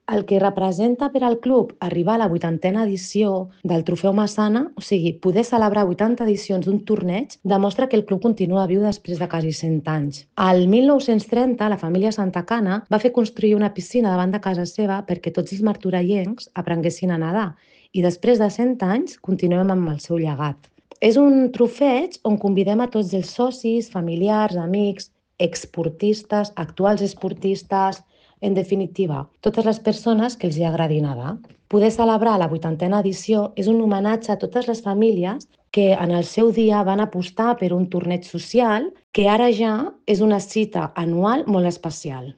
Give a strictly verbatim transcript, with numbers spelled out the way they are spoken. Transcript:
El que representa per al club arribar a la vuitantena edició del Trofeu Massana, o sigui, poder celebrar vuitanta edicions d'un torneig, demostra que el club continua viu després de quasi cent anys. Al mil nou-cents trenta, la família Santacana va fer construir una piscina davant de casa seva perquè tots els martorellencs aprenguessin a nedar i després de cent anys continuem amb el seu llegat. És un trofeig on convidem a tots els socis, familiars, amics, exportistes, actuals esportistes, en definitiva, totes les persones que els hi agradi nedar. Poder celebrar la vuitantena edició és un homenatge a totes les famílies que en el seu dia van apostar per un torneig social que ara ja és una cita anual molt especial.